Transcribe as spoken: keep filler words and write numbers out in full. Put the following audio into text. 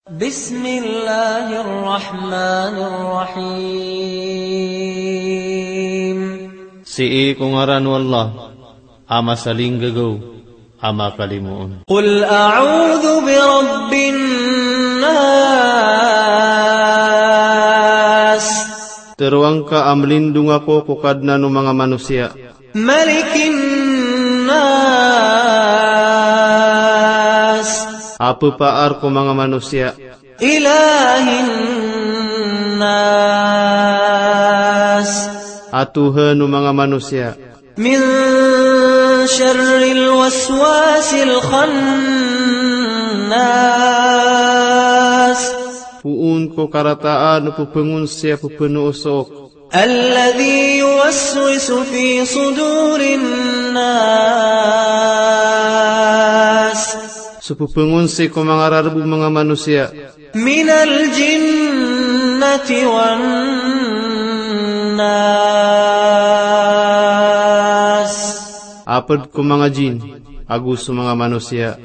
بسم الله الرحمن الرحيم. Sii ko ngaran o Allah a masalinggagaw a makalimoon. قل أعوذ برب الناس. Teroang ka a mlindong ako ko Kadnan o manga manosiya. ملك الناس. A pepaar ko manga manosiya. إله الناس. A Tohan o manga manosiya. من شر الوسواس الخناس. Poon ko karataan o pepengonsi a pepenoosok. الذي يوسوس في صدور الناس. So pepengonsi ko manga rareb o manga manosiya. من الجنة والناس. A ped ko manga jin ago so manga manosiya.